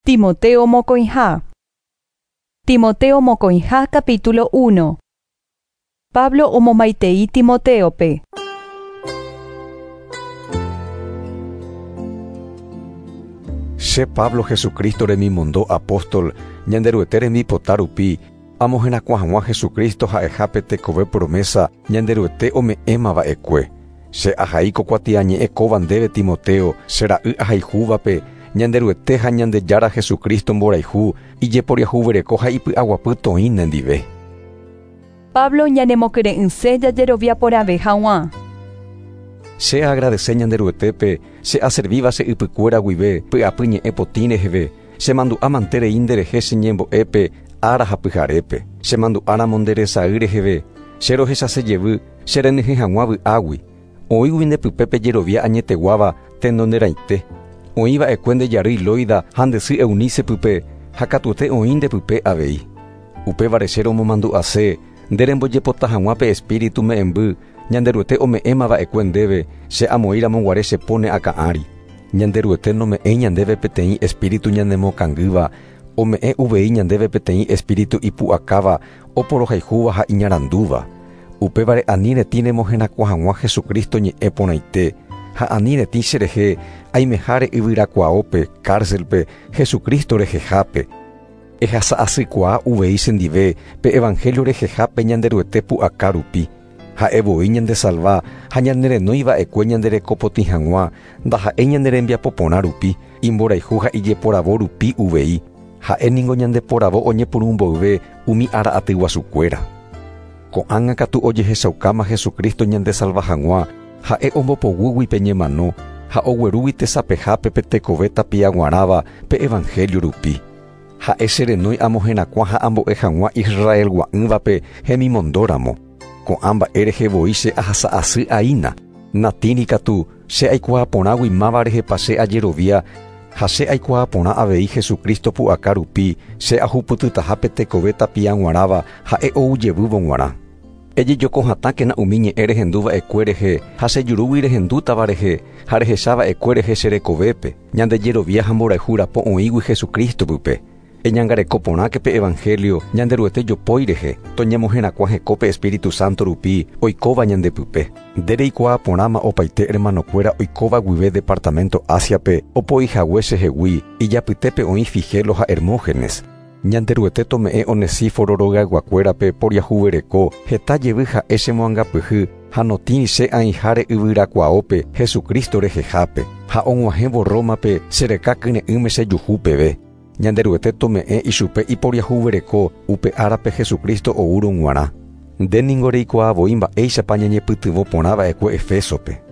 Timoteo mokõiha. Timoteo mokõiha capítulo 1. Pablo omomaitei Timoteope. Che Pablo Jesucristo remimondo apóstol, Ñanderuete rembipota rupi, amoherakuã hag̃ua Jesucristo ha'eha pe tekove promesa Ñanderuete ome'ẽmava'ekue. Che ahai ko kuatiañe'ẽ kóva ndéve Timoteo, che ra'y ahayhúvape, Ñanderuete ha Ñandejára Jesucristo mborayhu, ijeporiahuvereko ha ipy'aguapy toĩ nendive. Pablo ñanemokyre'ỹse jajerovia porãve hag̃ua. Che agradece Ñanderuetépe, che aservíva che ypykuéra guive, py'apy ñe'ẽ potĩ reheve, che mandu'a manterei nderehe che ñembo'épe, ára ha pyharépe. Che mandu'áramo nde resay reheve, che rohechase jevy, che renyhẽ hag̃ua vy'águi. Oĩgui ndepype pejerovia añeteguáva tenonderãite. Oĩva'ekue nde jarýi Loida ha nde sy Eunice pype, ha katuete oĩ ndepype avei. Upévare che romomandu'ase, nde rembojepota hag̃ua pe espíritu me'ẽmby, Ñanderuete ome'ẽmava'ekue ndéve, che amoĩramo guare che po ne akã ári. Ñanderuete nome'ẽi ñandéve peteĩ espíritu ñanemokangýva, ome'ẽ uvei ñandéve peteĩ espíritu ipu'akáva, oporohayhúva ha iñarandúva. Upévare ani retĩ remoherakuã hag̃ua Jesucristo ñe'ẽ porãite, ha ani retĩ cherehe aimeháre yvyrakuaópe, cárcelpe, Jesucristo rehehápe. Ehasa'asykuaa uvei chendive pe evangelio rehehápe Ñanderuete pu'aka rupi. Ha'e voi ñandesalva ha ñanerenóiva'ekue ñanderekopotĩ hag̃ua, ndaha'éi ñane rembiapo porã rupi, imborayhu ha ijeporavo rupi uvei. Ha'e ningo ñandeporavo oñepyrũ mboyve umi ára aty guasukuéra. Ko'ág̃a katu ojehechaukáma Jesucristo ñandesalva hag̃ua, ha'e ombopoguýgui pe ñemano ha oguerúgui tesapehápe pe tekove tapiaguarãva pe evangelio rupi. Ha'e cherenói amoherakuã ha ambo'e hag̃ua Israelgua'ỹvape hemimondóramo. Ko'ã mba'e rehe voi che ahasa'asy aína. Natĩri katu che aikuaa porãgui máva rehepa che ajerovia ha che aikuaa porã avei Jesucristo pu'aka rupi che ahupytytaha pe tekove tapiaguarãva ha'e ou jevývo g̃uarã. Ejejoko hatãkena umi ñe'ẽ rehenduva'ekue rehe ha che jurúgui rehendútava rehe ha rehechava'ekue rehe che rekovépe, ñandejerovia ha mborayhu rapo oĩgui Jesucristo pype. Eñangareko porãke pe evangelio Ñanderuete jopói rehe, toñemoherakuã hekópe Espíritu Santo rupi oikóva ñandepype. Nde reikuaa porãma opaite hermanokuéra oikóva guive departamento Asiape opoihague chehegui, ijapytépe oĩ Figelo ha Hermógenes. Ñanderuete tome'ẽ Onesíforo rogayguakuérape poriahuvereko, heta jevy ha'e chemoangapyhy ha notĩri che aĩháre yvyrakuaópe Jesucristo rehehápe, ha og̃uahẽvo Rómape chereka kyre'ỹme chejuhu peve. Ñanderuete tome'ẽ ichupe iporiahuvereko upe árape Jesucristo oúrõ g̃uarã. Nde ningo reikuaa voi mba'éichapa ñañepytyvõ porã va'ekue Efesope.